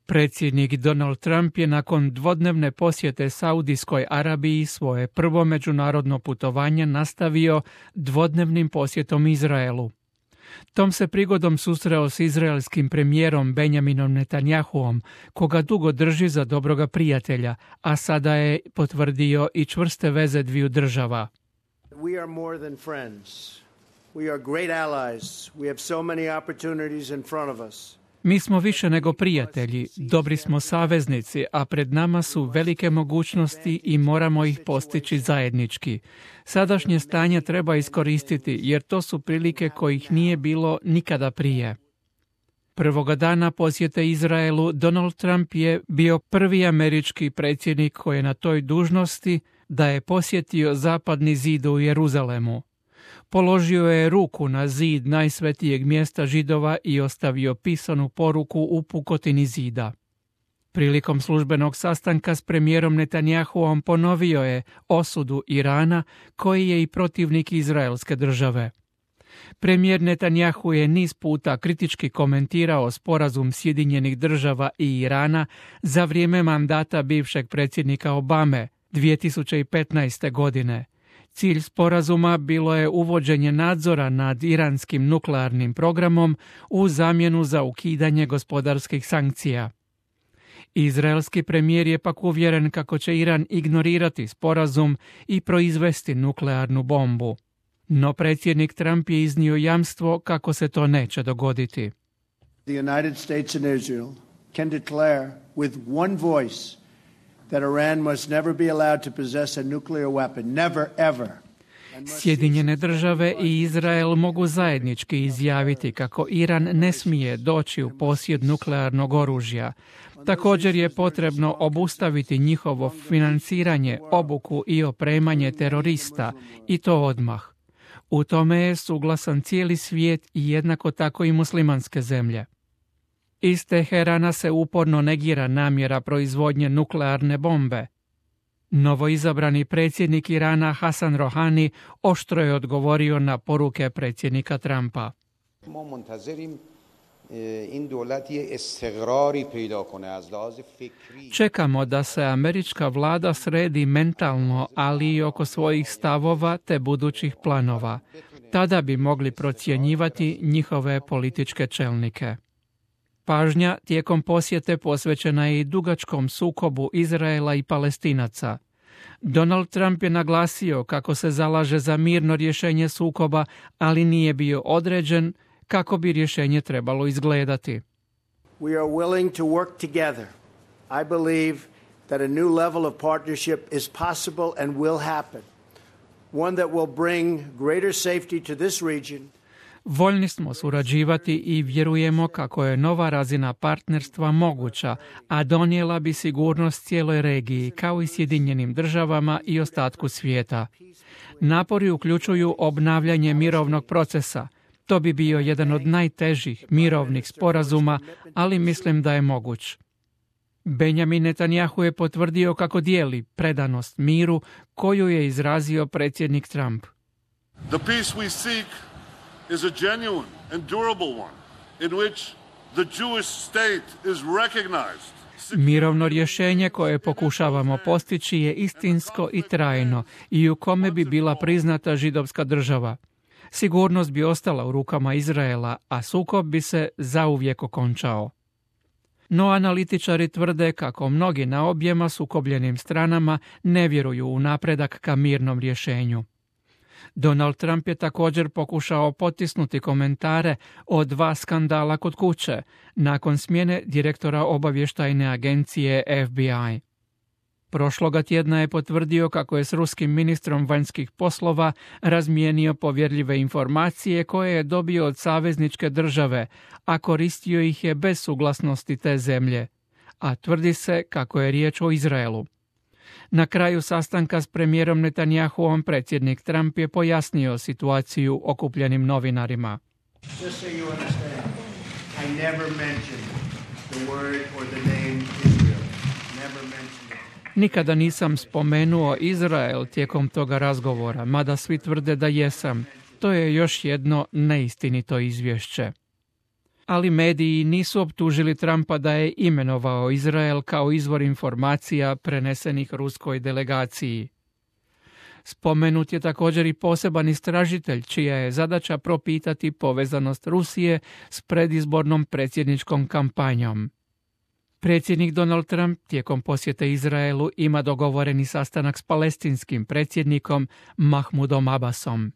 Predsjednik Donald Trump je nakon dvodnevne posjete Saudijskoj Arabiji svoje prvo međunarodno putovanje nastavio dvodnevnim posjetom Izraelu. Tom se prigodom susreo s izraelskim premijerom Benjaminom Netanjahuom, koga dugo drži za dobroga prijatelja, a sada je potvrdio i čvrste veze dviju država. We are more than friends. We are great allies. We have so many opportunities in front of us. Mi smo više nego prijatelji, dobri smo saveznici, a pred nama su velike mogućnosti i moramo ih postići zajednički. Sadašnje stanje treba iskoristiti jer to su prilike kojih nije bilo nikada prije. Prvoga dana posjete Izraelu Donald Trump je bio prvi američki predsjednik koji je na toj dužnosti da je posjetio zapadni zid u Jeruzalemu. Položio je ruku na zid najsvetijeg mjesta Židova i ostavio pisanu poruku u pukotini zida. Prilikom službenog sastanka s premijerom Netanjahuom ponovio je osudu Irana, koji je i protivnik izraelske države. Premijer Netanjahu je niz puta kritički komentirao sporazum Sjedinjenih država i Irana za vrijeme mandata bivšeg predsjednika Obame 2015. godine. Cilj sporazuma bilo je uvođenje nadzora nad iranskim nuklearnim programom u zamjenu za ukidanje gospodarskih sankcija. Izraelski premijer je pak uvjeren kako će Iran ignorirati sporazum i proizvesti nuklearnu bombu. No predsjednik Trump je iznio jamstvo kako se to neće dogoditi. The United States and Israel can declare with one voice that Iran must never be allowed to possess a nuclear weapon. Never, ever. Sjedinjene države i Izrael mogu zajednički izjaviti kako Iran ne smije doći u posjed nuklearnog oružja. Također je potrebno obustaviti njihovo financiranje, obuku i opremanje terorista, i to odmah. U tome je suglasan cijeli svijet i jednako tako i muslimanske zemlje. Iz Teherana se uporno negira namjera proizvodnje nuklearne bombe. Novoizabrani predsjednik Irana Hasan Rohani oštro je odgovorio na poruke predsjednika Trumpa. Čekamo da se američka vlada sredi mentalno, ali i oko svojih stavova te budućih planova. Tada bi mogli procjenjivati njihove političke čelnike. Pažnja tijekom posjete posvećena je i dugačkom sukobu Izraela i Palestinaca. Donald Trump je naglasio kako se zalaže za mirno rješenje sukoba, ali nije bio određen kako bi rješenje trebalo izgledati. We are willing to work together. I believe that a new level of partnership is possible and will happen. One that will bring greater safety to this region. Voljni smo surađivati i vjerujemo kako je nova razina partnerstva moguća, a donijela bi sigurnost cijeloj regiji, kao i Sjedinjenim državama i ostatku svijeta. Napori uključuju obnavljanje mirovnog procesa. To bi bio jedan od najtežih mirovnih sporazuma, ali mislim da je moguć. Benjamin Netanjahu je potvrdio kako dijeli predanost miru koju je izrazio predsjednik Trump. The peace we seek is a genuine and durable one in which the Jewish state is recognized. Mirovno rješenje koje pokušavamo postići je istinsko i trajno i u kome bi bila priznata židovska država. Sigurnost bi ostala u rukama Izraela, a sukob bi se zauvijek okončao. No analitičari tvrde kako mnogi na objema sukobljenim stranama ne vjeruju u napredak ka mirnom rješenju. Donald Trump je također pokušao potisnuti komentare o 2 skandala kod kuće, nakon smjene direktora obavještajne agencije FBI. Prošloga tjedna je potvrdio kako je s ruskim ministrom vanjskih poslova razmijenio povjerljive informacije koje je dobio od savezničke države, a koristio ih je bez suglasnosti te zemlje, a tvrdi se kako je riječ o Izraelu. Na kraju sastanka s premijerom Netanjahuom predsjednik Trump je pojasnio situaciju okupljenim novinarima. Just so you understand, I never mentioned the word or the name Israel. Never mentioned it. Nikada nisam spomenuo Izrael tijekom toga razgovora, mada svi tvrde da jesam. To je još jedno neistinito izvješće. ali mediji nisu optužili Trumpa da je imenovao Izrael kao izvor informacija prenesenih ruskoj delegaciji. Spomenut je također i poseban istražitelj, čija je zadaća propitati povezanost Rusije s predizbornom predsjedničkom kampanjom. Predsjednik Donald Trump tijekom posjete Izraelu ima dogovoreni sastanak s palestinskim predsjednikom Mahmudom Abbasom.